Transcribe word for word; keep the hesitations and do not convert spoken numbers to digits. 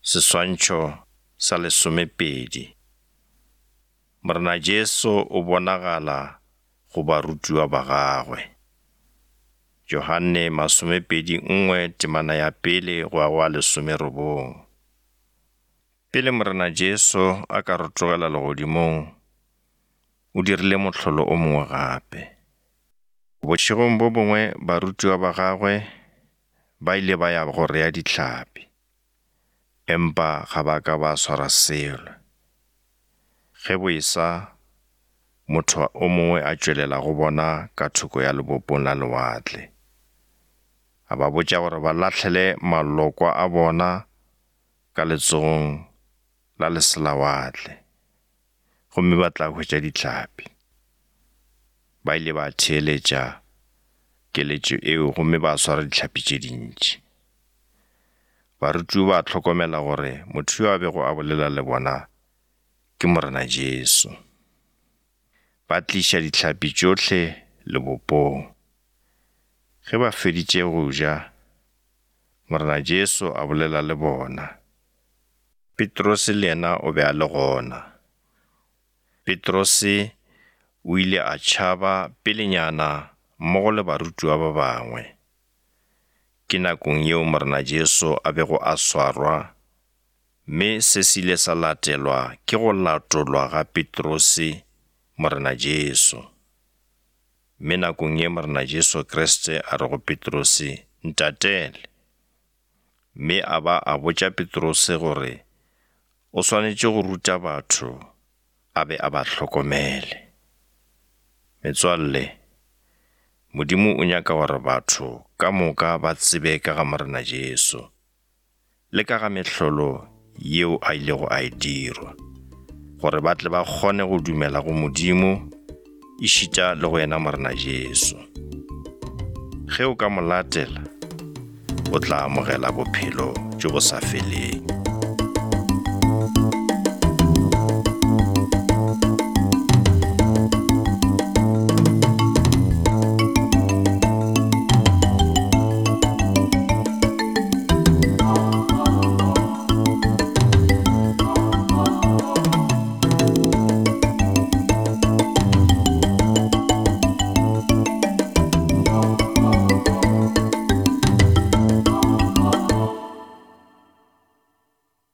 Seswantšho sa lesomepedi. Morena Jesu o bonagala go barutiwa ba gagwe. Johane masomepedi nngwe temana ya pele go ya go ya lesomerobong. Pele Morena Jesu a ka rotogela legodimong, o dirile mohlolo o mongwe gape. Bošegong bo bongwe barutiwa ba gagwe ba ile ba ya go rea dihlapi, empa ga ba ka ba swara selo. Ge bo esa, motho o mongwe a tšwelela go bona ka thoko ya lebopong la lewatle. A ba botša gore ba lahlele malokwa a bona ka letsogong la leselawatle, gomme ba tla hwetša dihlapi. Ba ile ba theeletša keletšo eo gomme ba swara dihlapi tše dintši. Barutiwa ba hlokomela gore motho yo a bego a bolela le bona ke Morena Jesu. Ba tliša dihlapi tšohle lebopong. Ge ba feditše go ja, Morena Jesu a bolela le bona. Petrose le yena o be a le gona. Petrose o ile a tšhaba pelenyana mmogo le barutiwa ba bangwe. Ke nakong yeo Morena Jesu a bego a swarwa, mme se se ile sa latelwa ke go latolwa ga Petrose Morena Jesu. Mme nakong ye Morena Jesu Kriste a re go Petrose, ntatele. Mme a ba a botša Petrose gore o swanetše go ruta batho a be a ba hlokomele. Metswalle, Modimo o nyaka gore batho ka moka ba tsebe ka ga Morena Jesu le ka ga mehlolo yeo a ilego a e dirwa, gore ba tle ba kgone go dumela go Modimo ešita le go yena Morena Jesu. Ge o ka mo latela, o tla amogela bophelo bjo bo sa feleng.